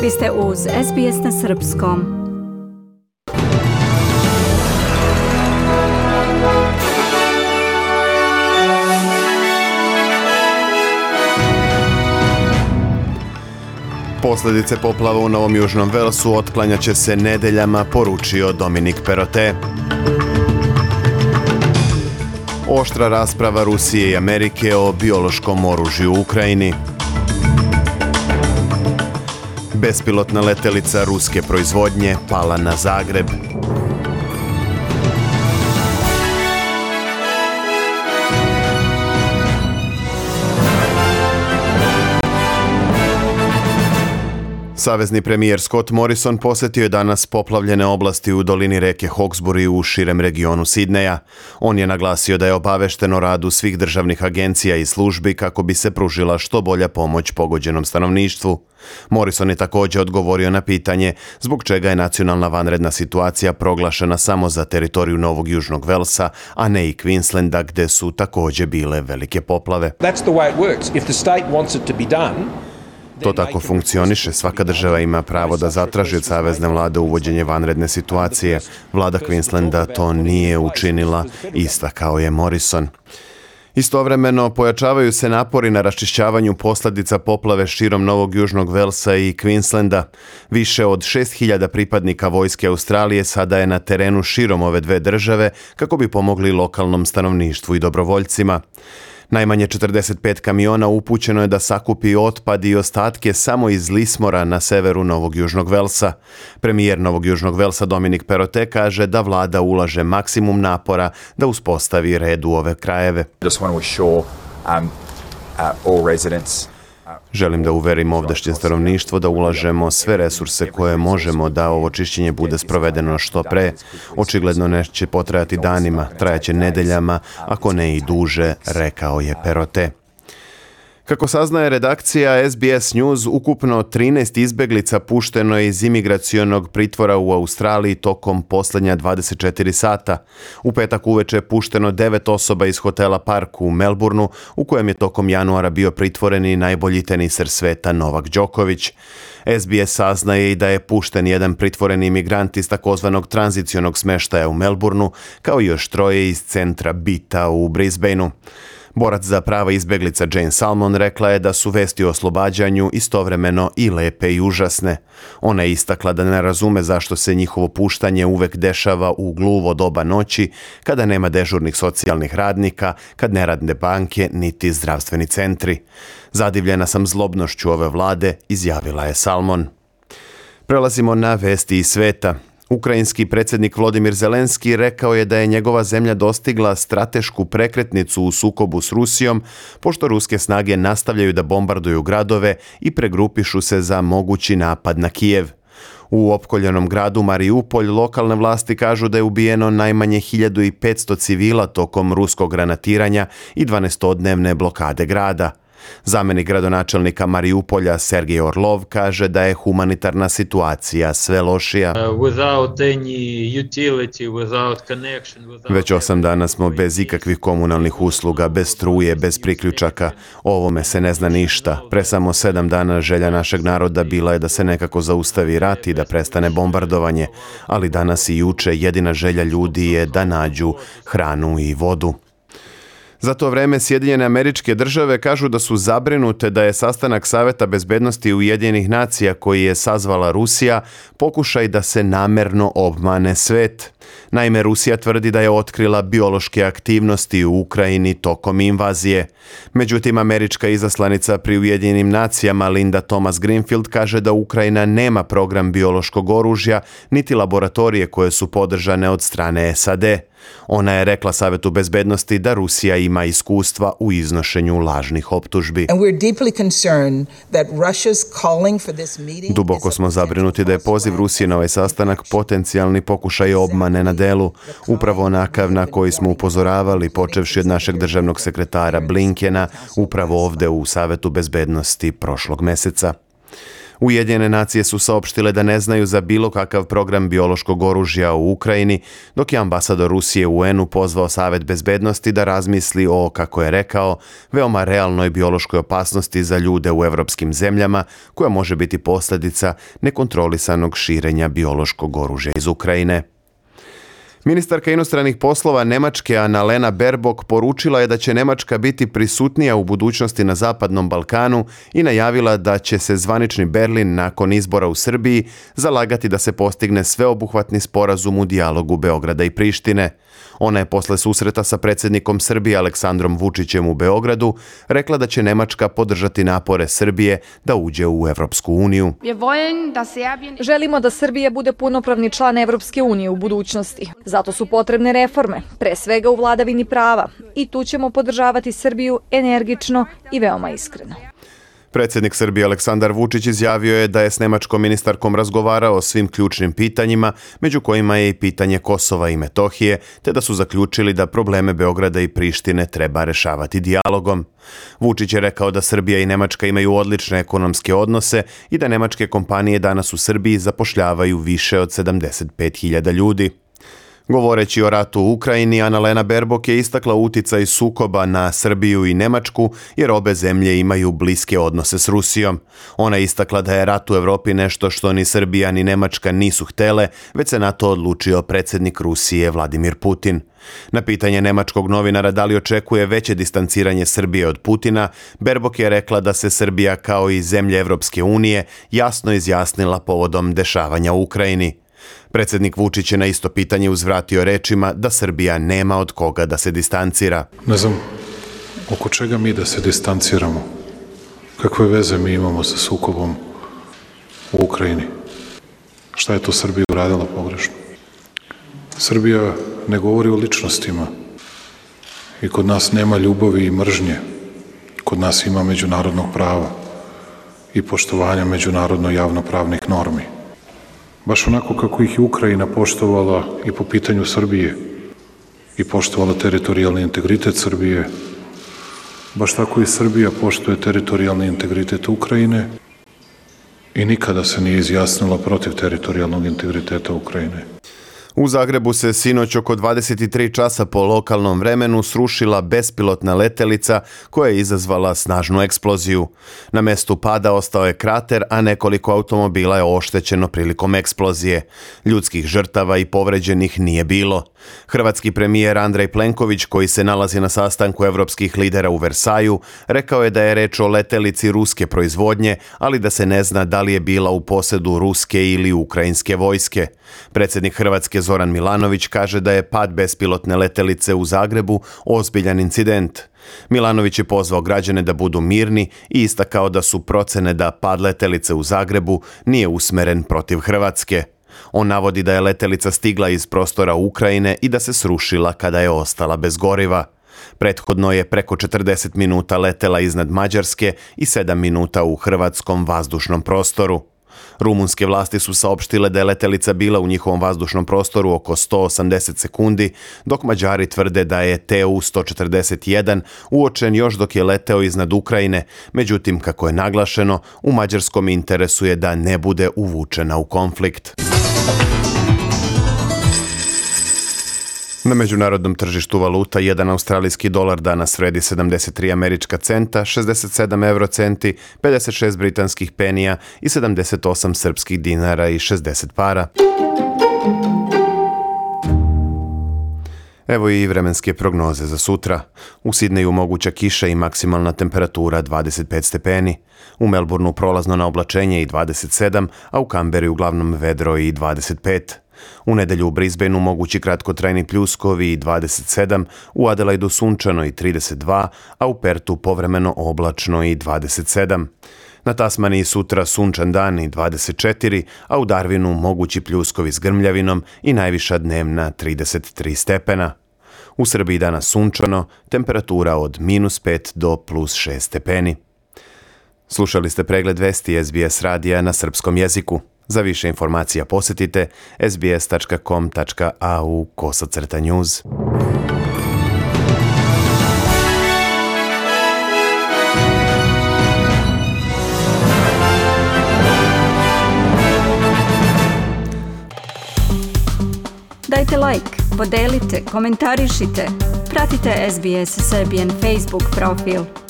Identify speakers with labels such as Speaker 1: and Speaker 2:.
Speaker 1: Vi ste uz SBS na srpskom.
Speaker 2: Posljedice poplava u Novom Južnom Velsu otklanjat će se nedeljama, poručio Dominic Perrottet. Oštra rasprava Rusije i Amerike o biološkom oružju u Ukrajini. Bespilotna letelica ruske proizvodnje pala na Zagreb. Savezni premijer Scott Morrison posjetio je danas poplavljene oblasti u dolini reke Hawkesbury u širem regionu Sidneja. On je naglasio da je obavešten o radu svih državnih agencija i službi kako bi se pružila što bolja pomoć pogođenom stanovništvu. Morrison je također odgovorio na pitanje zbog čega je nacionalna vanredna situacija proglašena samo za teritoriju Novog Južnog Velsa, a ne i Queenslanda gdje su također bile velike poplave.
Speaker 3: That's the way it works. If the state wants it to be done,
Speaker 2: to tako funkcioniše. Svaka država ima pravo da zatraži od savezne vlade uvođenje vanredne situacije. Vlada Queenslanda to nije učinila, istakao je Morrison. Istovremeno pojačavaju se napori na raščišćavanju posljedica poplave širom Novog Južnog Velsa i Queenslanda. Više od 6.000 pripadnika vojske Australije sada je na terenu širom ove dve države kako bi pomogli lokalnom stanovništvu i dobrovoljcima. Najmanje 45 kamiona upućeno je da sakupi otpad i ostatke samo iz Lismora na severu Novog Južnog Velsa. Premijer Novog Južnog Velsa Dominic Perrottet kaže da vlada ulaže maksimum napora da uspostavi red u ove krajeve. Želim da uverim ovdašnje stanovništvo da ulažemo sve resurse koje možemo da ovo čišćenje bude sprovedeno što pre. Očigledno neće potrajati danima, trajaće nedeljama, ako ne i duže, rekao je Perrottet. Kako saznaje redakcija SBS News, ukupno 13 izbeglica pušteno je iz imigracionog pritvora u Australiji tokom posljednja 24 sata. U petak uveče je pušteno 9 osoba iz hotela Park u Melbourneu, u kojem je tokom januara bio pritvoreni najbolji teniser sveta Novak Đoković. SBS saznaje i da je pušten jedan pritvoreni imigrant iz takozvanog tranzicionog smeštaja u Melbourneu, kao i još 3 iz centra Bita u Brisbaneu. Borac za prava izbeglica Jane Salmon rekla je da su vesti o oslobađanju istovremeno i lepe i užasne. Ona je istakla da ne razume zašto se njihovo puštanje uvek dešava u gluvo doba noći, kada nema dežurnih socijalnih radnika, kad ne radne banke niti zdravstveni centri. Zadivljena sam zlobnošću ove vlade, izjavila je Salmon. Prelazimo na vesti iz sveta. Ukrajinski predsjednik Volodymyr Zelenski rekao je da je njegova zemlja dostigla stratešku prekretnicu u sukobu s Rusijom, pošto ruske snage nastavljaju da bombarduju gradove i pregrupišu se za mogući napad na Kijev. U opkoljenom gradu Mariupolj lokalne vlasti kažu da je ubijeno najmanje 1500 civila tokom ruskog granatiranja i 12-dnevne blokade grada. Zamjenik gradonačelnika Mariupolja Sergej Orlov kaže da je humanitarna situacija sve lošija. Već 8 dana smo bez ikakvih komunalnih usluga, bez struje, bez priključaka. O ovome se ne zna ništa. Pre samo 7 dana želja našeg naroda bila je da se nekako zaustavi rat i da prestane bombardovanje, ali danas i juče jedina želja ljudi je da nađu hranu i vodu. Za to vreme Sjedinjene Američke Države kažu da su zabrinute da je sastanak Saveta bezbednosti Ujedinjenih nacija koji je sazvala Rusija pokušaj da se namerno obmane svet. Naime, Rusija tvrdi da je otkrila biološke aktivnosti u Ukrajini tokom invazije. Međutim, američka izaslanica pri Ujedinjenim nacijama Linda Thomas-Greenfield kaže da Ukrajina nema program biološkog oružja niti laboratorije koje su podržane od strane SAD. Ona je rekla Savetu bezbednosti da Rusija ima iskustva u iznošenju lažnih optužbi. Duboko smo zabrinuti da je poziv Rusije na ovaj sastanak potencijalni pokušaj obmane na delu, upravo onakav na koji smo upozoravali počevši od našeg državnog sekretara Blinkena upravo ovde u Savetu bezbednosti prošlog meseca. Ujedinjene nacije su saopštile da ne znaju za bilo kakav program biološkog oružja u Ukrajini, dok je ambasador Rusije u UN-u pozvao Savet bezbednosti da razmisli o, kako je rekao, veoma realnoj biološkoj opasnosti za ljude u evropskim zemljama, koja može biti posljedica nekontrolisanog širenja biološkog oružja iz Ukrajine. Ministarka inostranih poslova Nemačke Annalena Baerbock poručila je da će Nemačka biti prisutnija u budućnosti na Zapadnom Balkanu i najavila da će se zvanični Berlin nakon izbora u Srbiji zalagati da se postigne sveobuhvatni sporazum u dijalogu Beograda i Prištine. Ona je posle susreta sa predsjednikom Srbije Aleksandrom Vučićem u Beogradu rekla da će Nemačka podržati napore Srbije da uđe u Evropsku uniju.
Speaker 4: Želimo da Srbija bude punopravni član Evropske unije u budućnosti. Zato su potrebne reforme, pre svega u vladavini prava. I tu ćemo podržavati Srbiju energično i veoma iskreno.
Speaker 2: Predsjednik Srbije Aleksandar Vučić izjavio je da je s nemačkom ministarkom razgovarao o svim ključnim pitanjima, među kojima je i pitanje Kosova i Metohije, te da su zaključili da probleme Beograda i Prištine treba rešavati dijalogom. Vučić je rekao da Srbija i Nemačka imaju odlične ekonomske odnose i da nemačke kompanije danas u Srbiji zapošljavaju više od 75.000 ljudi. Govoreći o ratu u Ukrajini, Annalena Baerbock je istakla uticaj sukoba na Srbiju i Nemačku, jer obe zemlje imaju bliske odnose s Rusijom. Ona je istakla da je rat u Evropi nešto što ni Srbija ni Nemačka nisu htele, već se na to odlučio predsjednik Rusije Vladimir Putin. Na pitanje nemačkog novinara da li očekuje veće distanciranje Srbije od Putina, Baerbock je rekla da se Srbija kao i zemlje Evropske unije jasno izjasnila povodom dešavanja u Ukrajini. Predsjednik Vučić je na isto pitanje uzvratio rečima da Srbija nema od koga da se distancira.
Speaker 5: Ne znam oko čega mi da se distanciramo. Kakve veze mi imamo sa sukobom u Ukrajini? Šta je to Srbija uradila pogrešno? Srbija ne govori o ličnostima i kod nas nema ljubavi i mržnje. Kod nas ima međunarodnog prava i poštovanja međunarodno javnopravnih normi. Baš onako kako ih je Ukrajina poštovala i po pitanju Srbije i poštovala teritorijalni integritet Srbije, baš tako i Srbija poštuje teritorijalni integritet Ukrajine i nikada se nije izjasnila protiv teritorijalnog integriteta Ukrajine.
Speaker 2: U Zagrebu se sinoć oko 23 časa po lokalnom vremenu srušila bespilotna letelica koja je izazvala snažnu eksploziju. Na mestu pada ostao je krater, a nekoliko automobila je oštećeno prilikom eksplozije. Ljudskih žrtava i povređenih nije bilo. Hrvatski premijer Andrej Plenković, koji se nalazi na sastanku evropskih lidera u Versaju, rekao je da je reč o letelici ruske proizvodnje, ali da se ne zna da li je bila u posedu ruske ili ukrajinske vojske. Predsjednik Hrvatske Zoran Milanović kaže da je pad bespilotne letelice u Zagrebu ozbiljan incident. Milanović je pozvao građane da budu mirni i istakao da su procene da pad letelice u Zagrebu nije usmeren protiv Hrvatske. On navodi da je letelica stigla iz prostora Ukrajine i da se srušila kada je ostala bez goriva. Prethodno je preko 40 minuta letela iznad Mađarske i 7 minuta u hrvatskom vazdušnom prostoru. Rumunske vlasti su saopštile da je letelica bila u njihovom vazdušnom prostoru oko 180 sekundi, dok Mađari tvrde da je Tu-141 uočen još dok je leteo iznad Ukrajine, međutim, kako je naglašeno, u mađarskom interesu je da ne bude uvučena u konflikt. Na međunarodnom tržištu valuta jedan australijski dolar danas vredi 73 američka centa, 67 eurocenti, 56 britanskih penija i 78 srpskih dinara i 60 para. Evo i vremenske prognoze za sutra. U Sidneju moguća kiša i maksimalna temperatura 25 stepeni. U Melbourneu prolazno na oblačenje i 27, a u Kamberi uglavnom vedro i 25. U nedelju u Brisbaneu mogući kratkotrajni pljuskovi i 27, u Adelaidu sunčano i 32, a u Pertu povremeno oblačno i 27. Na Tasmaniji sutra sunčan dan i 24, a u Darwinu mogući pljuskovi s grmljavinom i najviša dnevna 33 stepena. U Srbiji danas sunčano, temperatura od -5 do +6 stepeni. Slušali ste pregled vesti SBS radija na srpskom jeziku. Za više informacija posjetite sbs.com.au/news.
Speaker 1: Kliknite like, podelite, komentarišite. Pratite SBS Serbian Facebook profil.